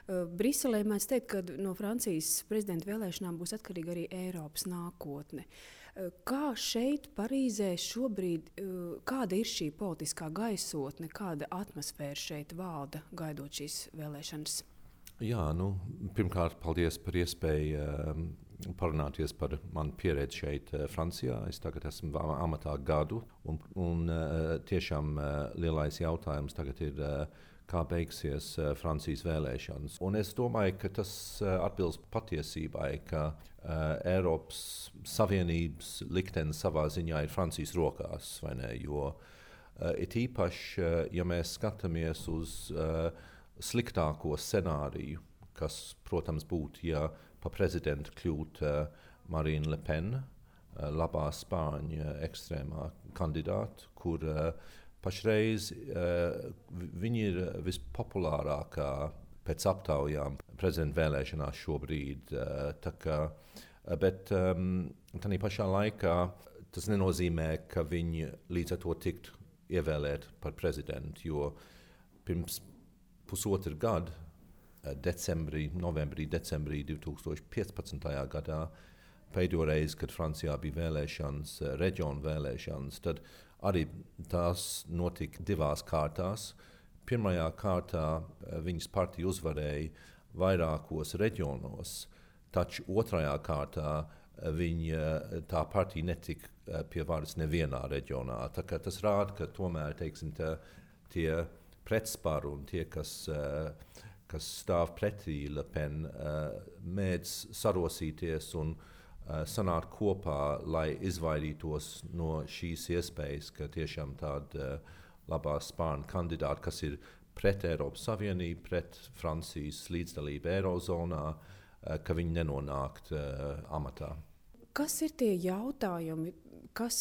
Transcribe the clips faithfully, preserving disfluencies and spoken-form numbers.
Briselē mēdz teikt, ka no Francijas prezidenta vēlēšanām būs atkarīga arī Eiropas nākotne. Kā šeit, Parīzē, šobrīd, kāda ir šī politiskā gaisotne, kāda atmosfēra šeit valda, gaidot šīs vēlēšanas? Jā, nu, pirmkārt, paldies par iespēju um, parunāties par manu pieredzi šeit, uh, Francijā. Es tagad esmu amatā gadu, un, un uh, tiešām uh, lielais jautājums tagad ir, uh, kā beigsies uh, Francijas vēlēšanas. Un es domāju, ka tas uh, atbilst patiesībai, ka uh, Eiropas Savienības liktenis savā ziņā ir Francijas rokās, vai ne? Jo uh, it īpaši, uh, ja mēs skatāmies uz uh, sliktāko scenāriju, kas, protams, būtu, ja pa prezidentu kļūtu uh, Marine Le Pen, uh, labā spāņu ekstrēmā kandidāta, kur uh, pašreiz uh, viņi ir vispopulārākā pēc aptaujām prezidenta vēlēšanās šobrīd. Uh, tā kā, bet um, tādā pašā laikā tas nenozīmē, ka viņi līdz ar to tiktu ievēlēti par prezidentu, jo pirms pusotru gadu, decembrī, novembrī, decembrī divs tūkstoši piecpadsmitajā gadā, pēdējo reizi, kad Francijā bija vēlēšanas, reģionu vēlēšanas, tad arī tās notika divās kārtās. Pirmajā kārtā viņas partija uzvarēja vairākos reģionos, taču otrajā kārtā viņa, tā partija netika pie varas nevienā reģionā. Tā kā tas rāda, ka tomēr, teiksim, tā, tie pretsparu un tie, kas, uh, kas stāv pretī Le Pen, uh, mēdz sarosīties un uh, sanākt kopā, lai izvairītos no šīs iespējas, ka tiešām tāda uh, labā spāņu kandidāta, kas ir pret Eiropas Savienību, pret Francijas līdzdalību Eirozonā, uh, ka viņi nenonākt uh, amatā. Kas ir tie jautājumi, kas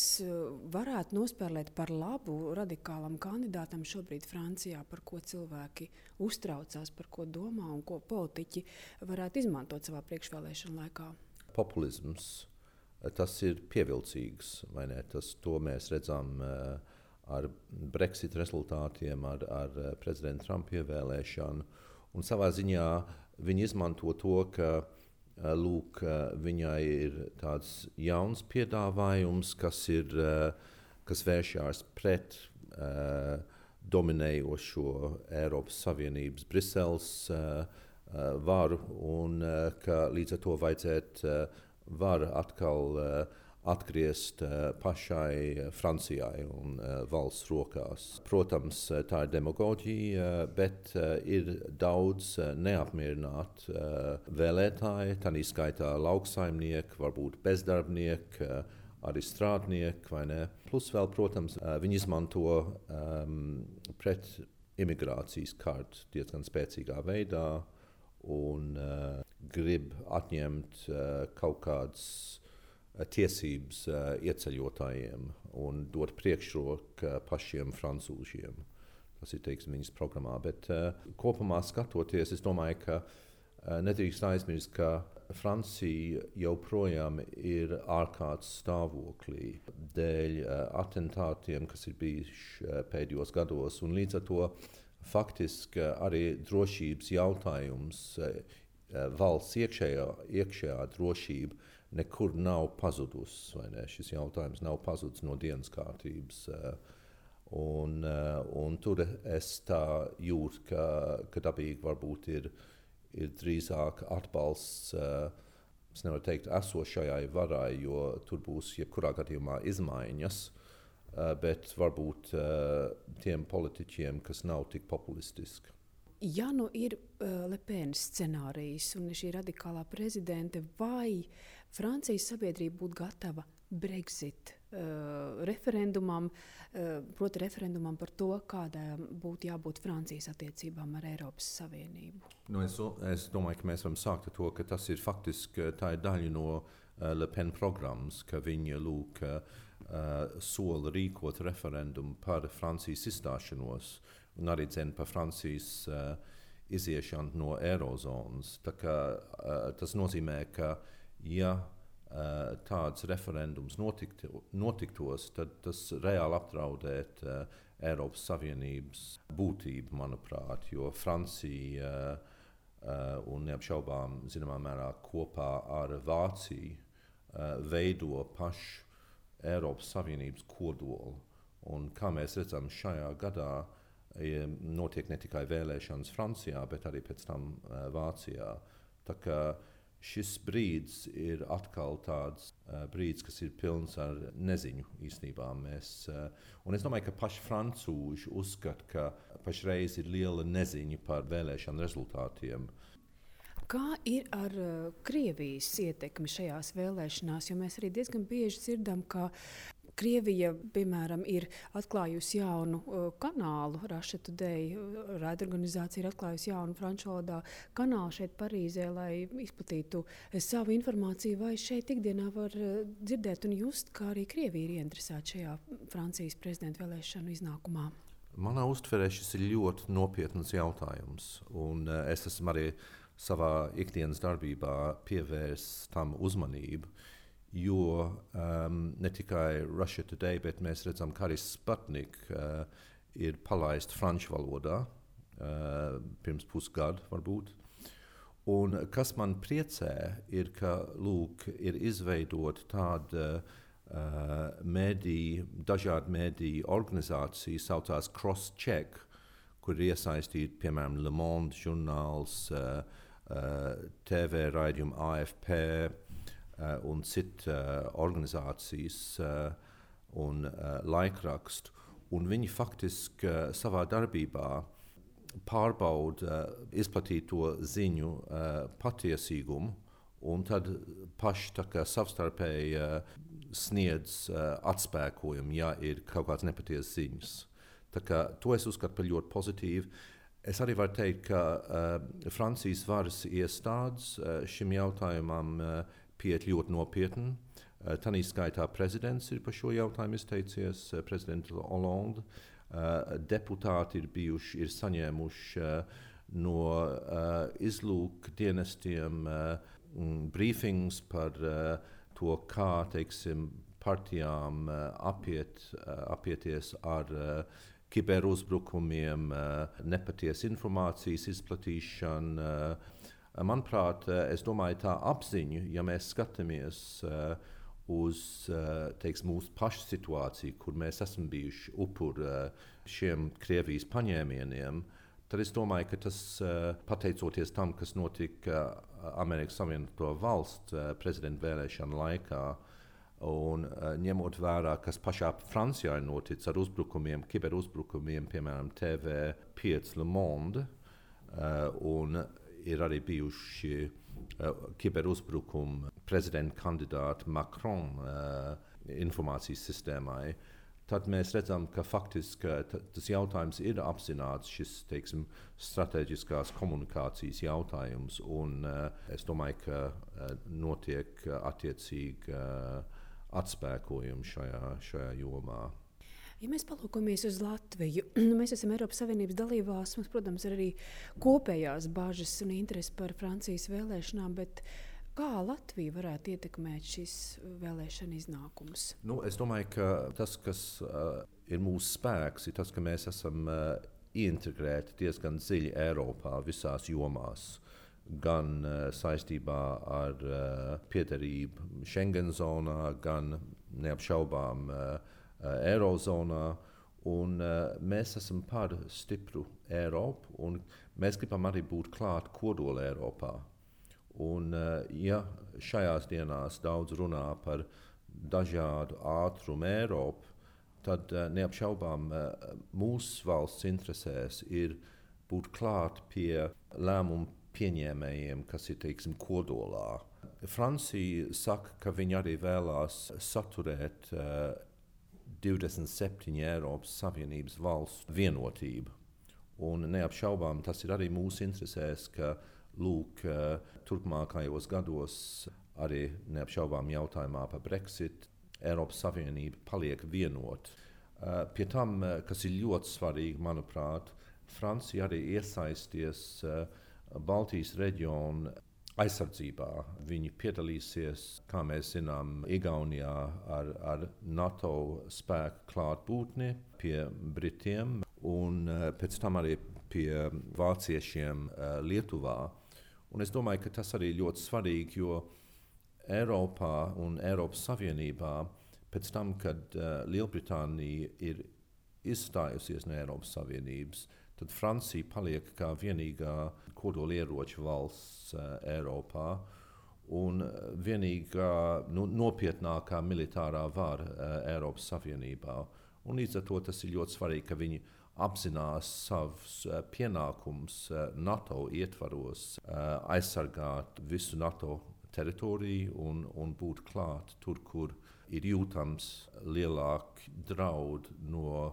varētu nospēlēt par labu radikālam kandidātam šobrīd Francijā, par ko cilvēki uztraucās, par ko domā un ko politiķi varētu izmantot savā priekšvēlēšanu laikā? Populisms, tas ir pievilcīgs, vai ne? Tas, to mēs redzam uh, ar Brexit rezultātiem, ar, ar prezidenta Trumpa ievēlēšanu. Un savā ziņā viņi izmanto to, ka Lūk, viņai ir tāds jauns piedāvājums, kas, ir, kas vēršās pret uh, dominējošo Eiropas Savienības Briseles uh, varu, un uh, ka līdz ar to vajadzētu uh, varu atkal uh, atgriezt uh, pašai Francijai un uh, valsts rokās. Protams, tā ir demagoģija, uh, bet uh, ir daudz uh, neapmierinātu uh, vēlētāju, tādā skaitā lauksaimnieki, varbūt bezdarbnieki, uh, arī strādnieki, vai ne? Plus vēl, protams, uh, viņi izmanto um, pret imigrācijas kartu diezgan spēcīgā veidā un uh, grib atņemt uh, kaut kādas tiesības uh, ieceļotājiem un dot priekšroku uh, pašiem francūžiem. Tas ir, teiksim, viņas programmā. Bet uh, kopumā skatoties, es domāju, ka uh, nedrīkst aizmirst, ka Francija joprojām ir ārkārtas stāvoklī dēļ uh, atentātiem, kas ir bijuši uh, pēdējos gados. Un līdz ar to faktiski uh, arī drošības jautājums, uh, valsts iekšējā, iekšējā drošība nekur nav pazudusi, vai ne? Šis jautājums nav pazudis no dienas kārtības. Un, un tur es tā jūtu, ka, ka dabīgi varbūt ir, ir drīzāk atbalsts, es nevaru teikt, esošajai varai, jo tur būs jebkurā gadījumā izmaiņas, bet varbūt tiem politiķiem, kas nav tik populistiski. Ja nu ir uh, Le Pen scenārijs un šī radikālā prezidente, vai Francijas sabiedrība būtu gatava Brexit uh, referendumam, uh, proti referendumam par to, kādām būtu jābūt Francijas attiecībām ar Eiropas Savienību? Nu, es, es domāju, ka mēs varam sākt ar to, ka tas ir faktiski tā ir daļa no uh, Le Pen programmas, ka viņa lūk uh, sola rīkot referendumu par Francijas izstāšanos un arī cena par Francijas uh, iziešanu no Eirozonas. Tā kā, uh, tas nozīmē, ka ja uh, tāds referendums notikti, notiktos, tad tas reāli apdraudētu uh, Eiropas Savienības būtību, manuprāt, jo Francija uh, un neapšaubām zināmā mērā kopā ar Vāciju veido pašu Eiropas Savienības kodolu. Un kā mēs redzam, šajā gadā notiek ne tikai vēlēšanas Francijā, bet arī pēc tam Vācijā. Tā kā šis brīdis ir atkal tāds uh, brīdis, kas ir pilns ar neziņu īstenībā. Mēs, uh, un es domāju, ka paši francūži uzskata, ka pašreiz ir liela neziņa par vēlēšanu rezultātiem. Kā ir ar uh, Krievijas ietekmi šajās vēlēšanās? Jo mēs arī diezgan bieži dzirdam, ka Krievija, piemēram, ir atklājusi jaunu uh, kanālu, Russia Today, raidorganizācija ir atklājusi jaunu franču valodā kanālu šeit Parīzē, lai izplatītu savu informāciju, vai šeit ikdienā var uh, dzirdēt un just, kā arī Krievija ir ieinteresēta šajā Francijas prezidenta vēlēšanu iznākumā? Manā uztverē šis ir ļoti nopietns jautājums, un uh, es esmu arī savā ikdienas darbībā pievērsis tam uzmanību. Jo um, ne tikai Russia Today, bet mēs redzam, ka arī Sputnik uh, ir palaists franču valodā uh, pirms pusgada varbūt. Un kas man priecē, ir, ka lūk, ir izveidot tāda uh, mediju, dažādu mediju organizāciju, saucās Crosscheck, kur ir iesaistīti, piemēram, Le Monde žurnāls, uh, uh, T V raidījumi A F P, Uh, un citas uh, organizācijas uh, un uh, laikrakstu. Un viņi faktiski uh, savā darbībā pārbauda uh, izplatīto ziņu uh, patiesīgumu un tad paši tā kā savstarpēji uh, sniedz uh, atspēkojumu, ja ir kaut kāds nepatiesas ziņas. Tā kā to es uzskatu par ļoti pozitīvu. Es arī varu teikt, ka uh, Francijas varas iestādes uh, šim jautājumam uh, pieiet ļoti nopietni. Uh, Tanī skaitā prezidents ir par šo jautājumu izteicies, uh, prezidents Hollande. Uh, deputāti ir bijuši, ir saņēmuši uh, no uh, izlūkdienestiem uh, mm, briefings par uh, to, kā, teiksim, partijām uh, apiet, uh, apieties ar uh, kiberuzbrukumiem, uh, nepatiesas informācijas izplatīšanu. Uh, Manuprāt, es domāju, tā apziņa, ja mēs skatāmies uh, uz uh, teiks, mūsu pašu situāciju, kur mēs esam bijuši upuri uh, šiem Krievijas paņēmieniem, tad es domāju, ka tas, uh, pateicoties tam, kas notika uh, Amerikas Savienoto Valstu uh, prezidenta vēlēšanu laikā, un uh, ņemot vērā, kas pašā Francijā ir noticis ar uzbrukumiem, kiberuzbrukumiem, piemēram, T V pieci Le Monde, uh, un ir arī bijuši uh, kiberuzbrukumi prezidenta kandidāta Macron uh, informācijas sistēmai. Tad mēs redzam, ka faktiski t- tas jautājums ir apzināts, šis, teiksim, strateģiskās komunikācijas jautājums, un uh, es domāju, ka uh, notiek uh, attiecīgi uh, atspēkojumi šajā, šajā jomā. Ja mēs palūkojamies uz Latviju, mēs esam Eiropas Savienības dalībvalsts, mums, protams, ir arī kopējās bažas un interesi par Francijas vēlēšanām, bet kā Latvija varētu ietekmēt šis vēlēšana iznākums? Nu, es domāju, ka tas, kas uh, ir mūsu spēks, ir tas, ka mēs esam uh, integrēti diezgan dziļi Eiropā visās jomās. Gan uh, saistībā ar uh, piederību Schengen zonā, gan neapšaubām uh, Eirozonā, un uh, mēs esam par stipru Eiropu, un mēs gribam arī būt klāt kodola Eiropā. Un, uh, ja šajās dienās daudz runā par dažādu ātrumu Eiropu, tad uh, neapšaubām uh, mūsu valsts interesēs ir būt klāt pie lēmumu pieņēmējiem, kas ir, teiksim, kodolā. Francija saka, ka viņi arī vēlās saturēt uh, divdesmit septiņu Eiropas Savienības valstu vienotību. Un neapšaubām tas ir arī mūsu interesēs, ka lūk, turpmākajos gados arī neapšaubām jautājumā par Brexit Eiropas Savienība paliek vienota. Pie tam, kas ir ļoti svarīgi, manuprāt, Francija arī iesaisties Baltijas reģiona aizsardzībā. Viņi piedalīsies, kā mēs zinām, Igaunijā ar, ar NATO spēku klātbūtni pie Britiem un uh, pēc tam arī pie vāciešiem uh, Lietuvā. Un es domāju, ka tas arī ļoti svarīgi, jo Eiropā un Eiropas Savienībā pēc tam, kad uh, Lielbritānija ir izstājusies no Eiropas Savienības, tad Francija paliek kā vienīgā kodolieroču valsts uh, Eiropā un vienīgā nu, nopietnākā militārā vara uh, Eiropas Savienībā. Un līdz ar to tas ir ļoti svarīgi, ka viņi apzinās savus uh, pienākumus uh, NATO ietvaros, uh, aizsargāt visu NATO teritoriju un, un būt klāt tur, kur ir jūtams lielāki draudi no uh,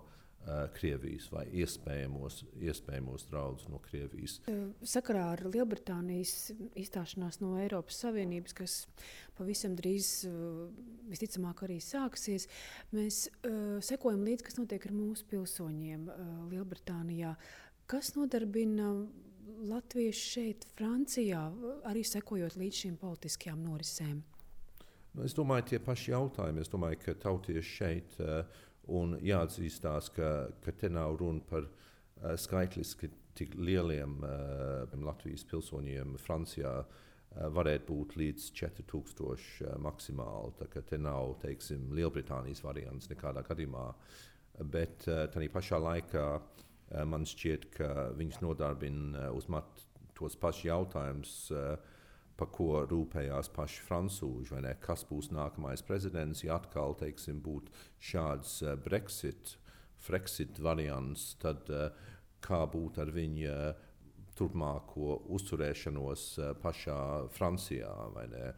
Krievijas vai iespējamos, iespējamos draudus no Krievijas. Sakarā ar Lielbritānijas izstāšanās no Eiropas Savienības, kas pavisam drīz uh, visticamāk arī sāksies, mēs uh, sekojam līdzi, kas notiek ar mūsu pilsoņiem uh, Lielbritānijā. Kas nodarbina latvieši šeit, Francijā, arī sekojot līdz šīm politiskajām norisēm? Nu, es domāju, tie paši jautājumi. Es domāju, ka tautieši šeit uh, un jāatzīstās, ka, ka te nav runa par uh, skaitliski tik lieliem uh, Latvijas pilsoņiem. Francijā uh, varētu būt līdz četri tūkstoši uh, maksimāli. Tā kā te nav, teiksim, Lielbritānijas variants nekādā gadījumā. Bet uh, tādā pašā laikā uh, man šķiet, ka viņus nodarbina uh, uz mat tos pašus jautājumus, uh, par ko rūpējās paši francūži, vai ne? Kas būs nākamais prezidents, ja atkal, teiksim, būtu šāds uh, Brexit, Frexit variants, tad uh, kā būtu ar viņa turpmāko uzturēšanos uh, pašā Francijā, vai ne?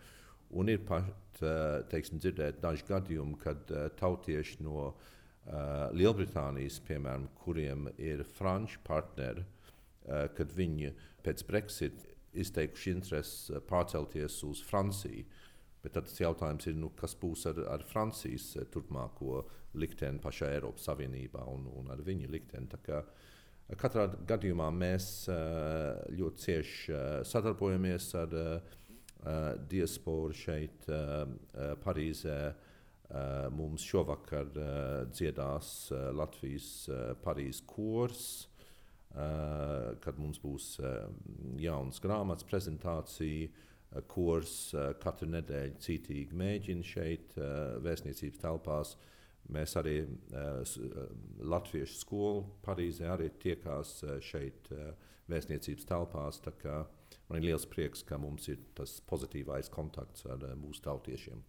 Un ir pat, uh, teiksim, dzirdēt daži gadījumi, kad uh, tautieši no uh, Lielbritānijas, piemēram, kuriem ir franču partneri, uh, kad viņi pēc Brexit izteikuši interesi pārcelties uz Franciju. Bet tad tas jautājums ir, nu, kas būs ar, ar Francijas turpmāko likteni pašā Eiropas Savienībā un, un ar viņu likteni. Tā kā katrā gadījumā mēs ļoti cieši sadarbojamies ar diasporu šeit Parīzē. Mums šovakar dziedās Latvijas Parīzes kors. Uh, kad mums būs uh, jaunas grāmatas prezentācija, uh, kurs uh, katru nedēļu cītīgi mēģina šeit uh, vēstniecības telpās. Mēs arī uh, Latviešu skolu Parīzē arī tiekās uh, šeit uh, vēstniecības telpās. Tā kā man ir liels prieks, ka mums ir tas pozitīvais kontakts ar uh, mūsu tautiešiem.